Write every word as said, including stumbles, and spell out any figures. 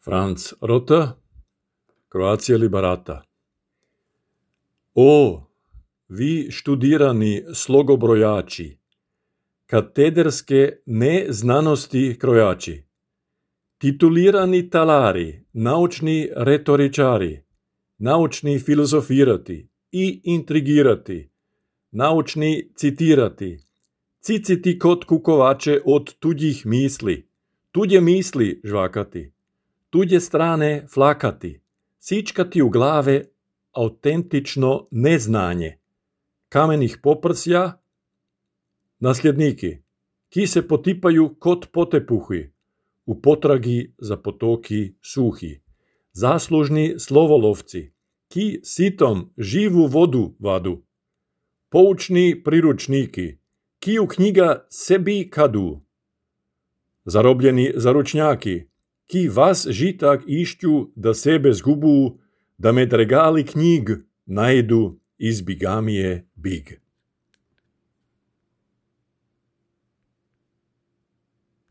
Franz Rota, Croatia Liberata. O, vi študirani slogobrojači, katederske neznanosti krojači, titulirani talari, naučni retoričari, naučni filozofirati i intrigirati, naučni citirati, ciciti kod kukovače od tuđih misli, tuđe misli žvakati, tuđe strane flakati, sičkati u glave autentično neznanje, kamenih poprsja, nasljedniki, ki se potipaju kot potepuhi, u potragi za potoki suhi, zaslužni slovolovci, ki sitom živu vodu vadu, poučni priručniki, ki u knjiga sebi kadu, zarobljeni zaručnjaki, ki vas žitak išću da sebe zgubu, da med regali knjig najdu iz bigamije big.